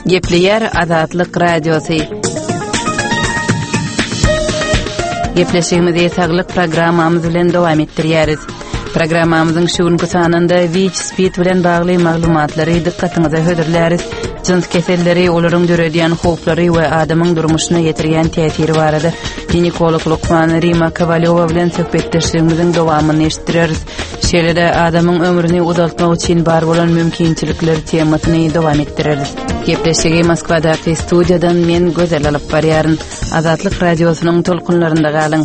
Gepleýär Azatlyk Radiosy. Gepleşigimizi saglyk programmamyz bilen dowam etdirýäris. Programmamyzyň şu günki sanynda WIÇ SPID bilen bagly maglumatlary dykgatyňyza hödürläris. Jyns keselleri, olaryň döredýän howplary we adamyň durmuşyna ýetirýän täsiri barada ginekolog lukman Rima Kowalýowa bilen söhbetdeşligimiziň dowamyny eşitdireris. Şeýle-de adamyň ömrüni uzaltmak üçin bar bolan mümkinçilikler temasyny dowam etdireris. Gepleşigi Moskwadaky studiýadan men Gözel alyp barýaryn. Azatlyk Radiosynyň tolkunlarynda galyň.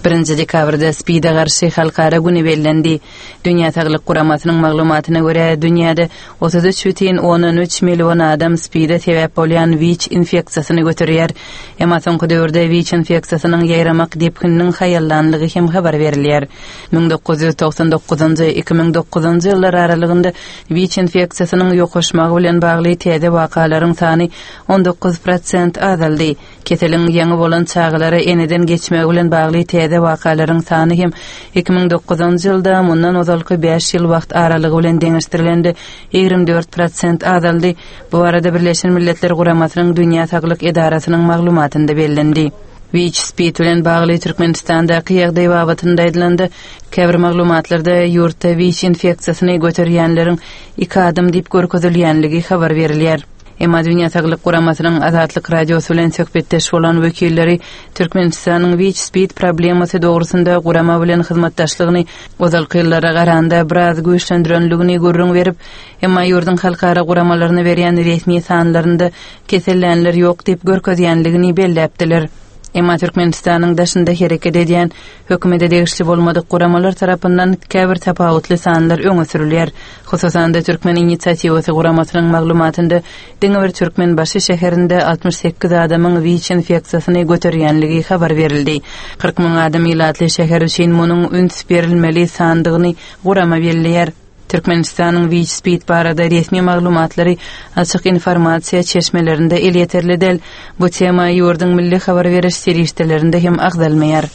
Birinji dekabrda SPID-e garşy halkara güni bellendi. Dünýä Saglyk Guramasynyň maglumatyna görä, dünýäde 33,3 million adam SPID-e sebäp bolýan WIÇ infeksiýasyny göterýär. Emma soňky döwürde WIÇ infeksiýasynyň ýaýramak depgininiň haýallanlygy hem habar berilýär. 1999-njy, 2009-njy ýyllar aralygynda WIÇ infeksiýasynyň ýokaşmagy bilen bagly täze wakalaryň sany 19 prosent azaldy. Keseliň ýaňy bolan çagalara eneden geçmegi bilen bagly täze wakalaryň sany hem 2009-njy ýylda mundan ozalky bäş ýyl wagt aralygy bilen deňeşdirilende 24 prosent azaldy. Bu barada Birleşen Milletler Guramasynyň Dünýä saglyk edarasynyň maglumatynda bellendi. WIÇ-SPID bilen bagly Türkmenistandaky ýagdaý babatynda aýdylanda, käbir maglumatlarda ýurtda WIÇ infeksiýasyny göterýänleriň iki adam diýip görkezilýänligi habar berilýär. Emma Dünýä Saglyk Guramasynyň Azatlyk Radiosy bilen söhbetdeş bolan wekilleri Türkmenistanyň WIÇ-SPID problemasy dogrusynda gurama bilen hyzmatdaşlygyny ozalky ýyllara garanda biraz güýçlendirenligini gürrüň berip, emma ýurduň halkara guramalaryna berýän resmi sanlarynda kesellänler ýok diýip görkezýänligini belläpdiler. Emma Türkmenistanyň daşynda hereket edýän hökümete degişli bolmadyk guramalar tarapyndan käbir tapawutly sanlar öňe sürülýär. Hususan-da, Türkmen inisiatiwasy guramasynyň maglumatynda diňe bir Türkmenbaşy şäherinde 68 adamyň WIÇ infeksiýasyny göterýänligi habar berildi. 40 müň adam ilatly şäher üçin munuň üns berilmeli sandygyny gurama belleýär. Türkmenistanyň WIÇ-SPID barada resmi maglumatlary açyk informasiýa çeşmelerinde elýeterli däl. Bu tema ýurduň milli habar beriş serişdelerinde hem agzalmaýar.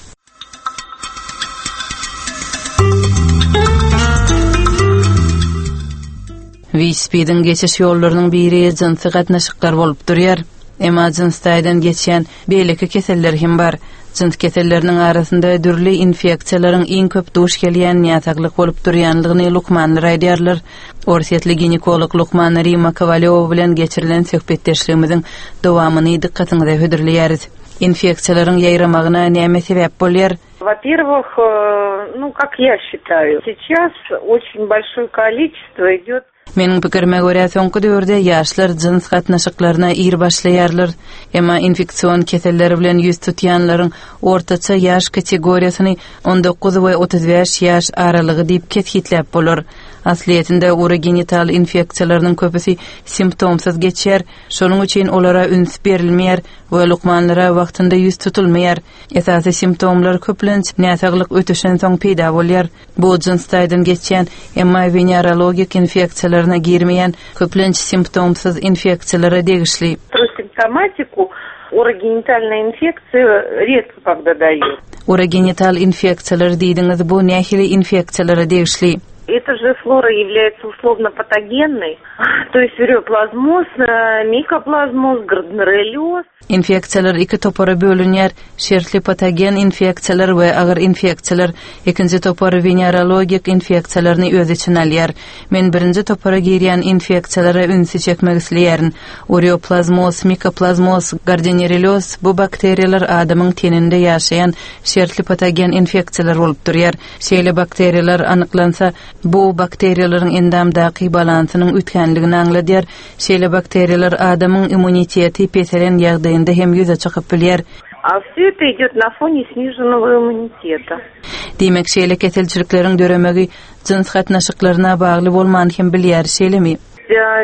WIÇ-SPID-iň geçiş ýollarynyň biri jynsy gatnaşyklar bolup durýar. Emma jyns taýdan geçýän beýleki keseller hem bar. Jyns keselleriniň arasynda dürli infeksiýalaryň iň köp duş gelýän näsaglyk bolup durýanlygyny lukmanlar aýdýarlar. Orsýetli ginekolog lukman Rimma Kowalýowa bilen geçirilen söhbetdeşligimiziň dowamyny dykgatyňyza hödürleýäris. Infeksiýalaryň ýaýramagyna näme sebäp bolýar? Во-первых, ну, как я считаю, сейчас очень большое количество идет Meniň pikirime görä, soňky döwürde ýaşlar jyns gatnaşyklaryna ir başlaýarlar. Emma infeksion keseller bilen ýüz tutýanlaryň ortaça ýaş kategoriýasyny 19 we 35 ýaş aralygy diýip kesgitläp bolar. Aslyýetinde urogenital infeksiýalarynyň köpüsi simptomsyz geçýär, şonuň üçin olara üns berilmeýär we lukmanlara wagtynda ýüz tutulmaýar. Esasy simptomlar köplenç näsaglyk ötüşensoň peýda bolýar. Bu jyns taýdan geçýän, emma wenerologik infeksiýalaryna girmeýän, köplenç simptomsyz infeksiýalara degişli. Simptomatiku urogenitalnaya infeksiýa redko kogda daýot. Urogenital infeksiýalar diýdiňiz, bu nähili infeksiýalara degişli? Это же флора является условно патогенной, то есть уреаплазмоз, микоплазмоз, гарднереллез. Infeksiýalar iki topara bölünýär, şertli patogen infeksiýalar we agyr infeksiýalar. Ikinji topar wenerologik infeksiýalaryny öz içine alýar. Men birinji topara girýän infeksiýalara ünsi çekmek isleýärin. Ureoplazmoz, mikoplazmoz, gardenerelloz bu bakteriýalar adamyň teninde ýaşaýan şertli patogen infeksiýalar bolup durýar. Şeýle bakteriýalar anyklansa, bu bakteriýalaryň endamdaky balansynyň üýtgänligini aňladýar. Şeýle bakteriýalar adamyň immuniteti peselen ýagdaýynda hem ýüze çykyp bilýär. A wsё eto idýot na fone sniženogo immuniteta. Diýmek, şeýle keselçilikleriň döremegi jyns gatnaşyklaryna bagly bolman hem bilýär, şeýlemi?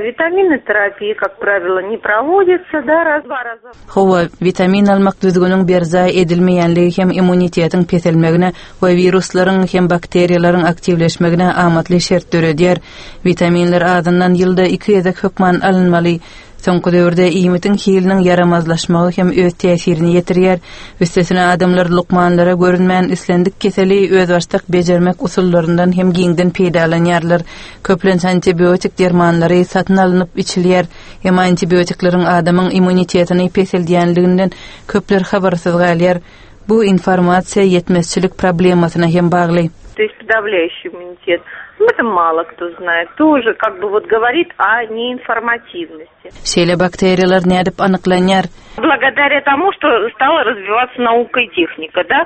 Witaminoterapiýa, kak prawilo, ne prowoditsa, da, raz, dva raza. Hawa, witamin almak düzgüniň berjaý edilmeýänligi hem immunitetiň peselmegine we wiruslaryň hem bakteriýalaryň aktiwleşmegine amatly şert döredýär. Witaminler azyndan ýylda iki gezek hökman alynmaly. Soňky döwürde iýmitiň hiliniň ýaramazlaşmagy hem öz täsirini ýetirýär. Üstesine adamlar lukmanlara görünmän islendik keseli özbaşdak bejermek usullaryndan hem giňden peýdalanýarlar. Köplenç antibiotik dermanlary satyn alnyp içilýär. Emma antibiotikleriň adamyň immunitetini peseldýänliginden köpler habarsyz galýar. Bu informasiýa ýetmezçilik problemasyna hem bagly. То есть подавляющий иммунитет. Об этом мало кто знает. Тоже как бы вот говорит о неинформативности. Şeýle bakteriýalar nädip anyklanýar? Благодаря тому, что стала развиваться наука и техника, да,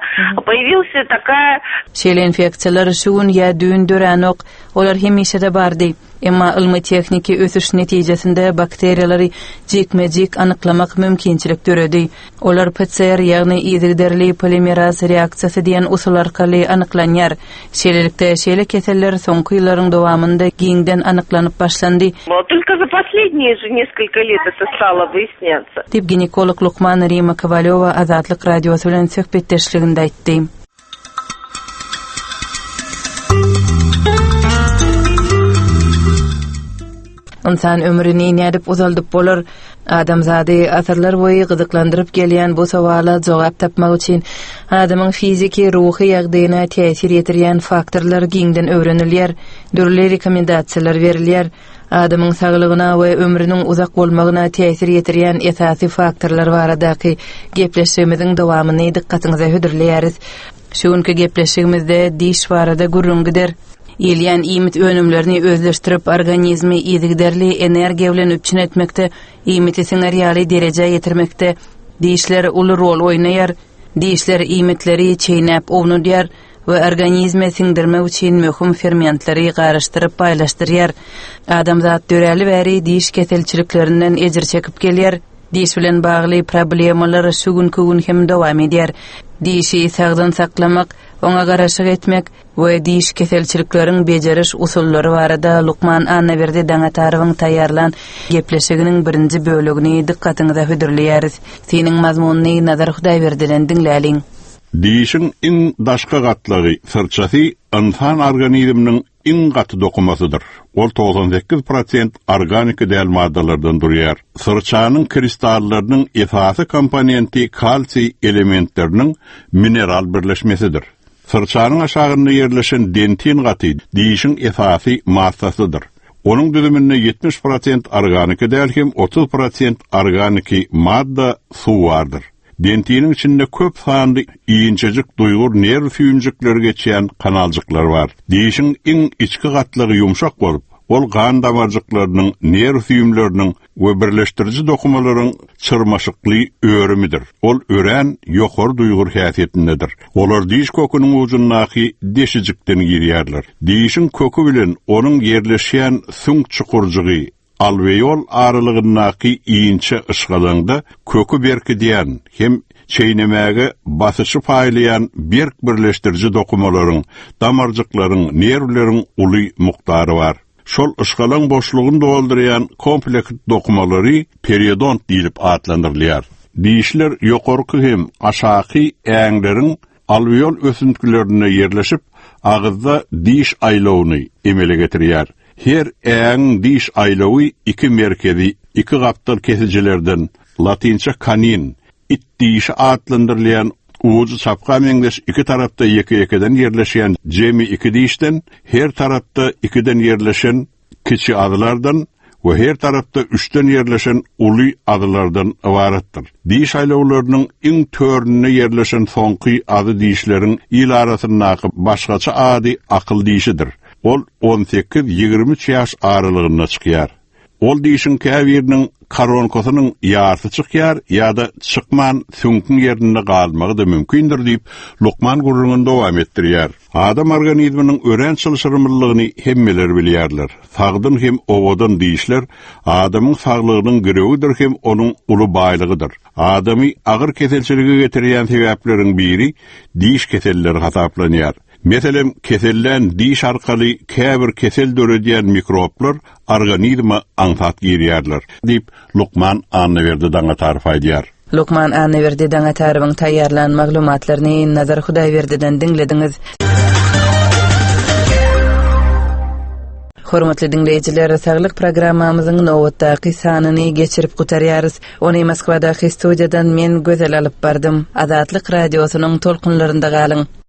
появился такая... Şeýle infeksiýalar şu gün ýa düýn döränok, olar hemişe-de bardy. Emma ylmy-tehniki ösüş netijesinde bakteriýalary jikme-jik anyklamak mümkinçilik döredi. Olar PCR, ýagny yzygiderli polimeraz reaksiýasy diýen usul arkaly anyklanýar. Şeýlelikde, şeýle keseller soňky ýyllaryň dowamynda giňden anyklanyp başlandy. Tolko za posledniye же neskolko let eto stalo wyýasnýatsa. Diýip, ginekolog lukman Rimma Kowalýowa Azatlyk Radiosy bilen söhbetdeşliginde aýtdy. Ynsan ömrüni nädip uzaldyp bolar? Adamzady asyrlar boýy gyzyklandyryp gelýän bu sowala jogap tapmak üçin adamyň fiziki, ruhy ýagdaýyna täsir ýetirýän faktorlar giňden öwrenilýär, dürli rekomendasiýalar berilýär. Adamyň saglygyna we ömrüniň uzak bolmagyna täsir ýetirýän esasy faktorlar baradaky gepleşigimiziň dowamyny dykgatyňyza hödürleýäris. Şu günki gepleşigimizde diş barada gürrüň gider. Iýilýän iýmit önümlerini özleşdirip, organizmi yzygiderli energiýa bilen üpjün etmekde, iýmiti siňer ýaly derejä ýetirmekde dişler uly rol oýnaýar. Dişler iýmitleri çeýnäp ownudýar we organizme siňdirmek üçin möhüm fermentleri garyşdyryp baýlaşdyrýar. Adamzat döräli bäri diş keselçiliklerinden ejir çekip gelýär. Diş bilen bagly problemalar şu günki gün hem dowam edýär. Dişi sagdyn saklamak, oňa garaşyk etmek we diş keselçilikleriň bejeriş usullary barada lukman Annaberdi Daňatarowyň taýýarlan gepleşiginiň birinji bölegini dykgatyňyza hödürleýäris. Synyň mazmunyny Nazar Hudaýberdiden diňläliň. Dişiň iň daşky gatlagy, syrçasy ynsan organizminiň iň gaty dokumasydyr. Ol 98 prosent organiki däl maddalardan durýar. Syrçanyň kristallarynyň esasy komponenti kalsiý elementleriniň mineral birleşmesidir. Syrçanyň aşagynda ýerleşen dentin gaty dişiň esasy massasydyr. Onuň düzüminde 70 prosent organiki däl hem 30 prosent organiki madda, suw bardyr. Dentiniň içinde köp sanly inçejik duýgur nerw süýümjikleri geçýän kanaljyklar bar. Dişiň iň içki gatlagy ýumşak bolup, ol gan damarjyklarynyň, nerw süýümleriniň we birleşdiriji dokumalaryň çyrmaşykly örümidir. Ol örän ýokary duýgur häsiýetindedir. Olar diş köküniň ujundaky deşijikden girýärler. Dişiň köki bilen onuň ýerleşýän süňk çukurjygy, Alweol aralygyndaky inçe yşgalaňda köki berkidýän hem çeýnemäge basyşy paýlaýan berk birleşdiriji dokumalaryň, damarjyklaryň, nerwleriň uly mukdary bar. Şol yşgalaň boşlugyny doldurýan komplekt dokumalary periodont diýlip atlandyrylýar. Dişler ýokarky hem aşaky äňleriň alweol ösüntgilerinde ýerleşip, agyzda diş aýlawyny emele getirýär. Her äňiň diş aýlawy iki merkezi, iki gapdal kesijilerden, latynça kanin, it dişi atlandyrylýan ujy çapga meňzeş iki tarapda ýeke-ýekeden ýerleşýän jemi iki dişden, her tarapda ikiden ýerleşen kiçi azylardan we her tarapda üçden ýerleşen uly azylardan ybaratdyr. Diş aýlawlarynyň iň töründe ýerleşen soňky azy dişleriň il arasyndaky başgaça ady akyl dişidir. Ol on sekiz-ýigrimi üç ýaş aralygynda çykýar. Ol dişiň käbiriniň koronkasynyň ýarsy çykýar ýa-da çykman süňküň ýerinde galmagy-da mümkindir diýip, lukman gürrüňini dowam etdirýär. Adam organizminiň örän çylşyrymlylygyny hemmeler bilýärler. Sagdyn hem owadan dişler adamyň saglygynyň girewidir hem onuň uly baýlygydyr. Adamy agyr keselçilige getirýän sebäpleriň biri diş keselleri hasaplanýar. Meselem, kesellän diş arkaly käbir kesel döredýän mikroblar organizme aňsat girýärler, diýip, lukman Annaberdi Daňatarow aýdýar. Lukman Annaberdi Daňatarowyň taýýarlan maglumatlaryny Nazar Hudaýberdiden diňlediňiz. Hormatly diňleýjiler, Saglyk programmamyzyň nobatdaky sanyny geçirip gutarýarys. Ony Moskwadaky studiýadan men Gözel alyp bardym. Azatlyk Radiosynyň tolkunlarynda galyň!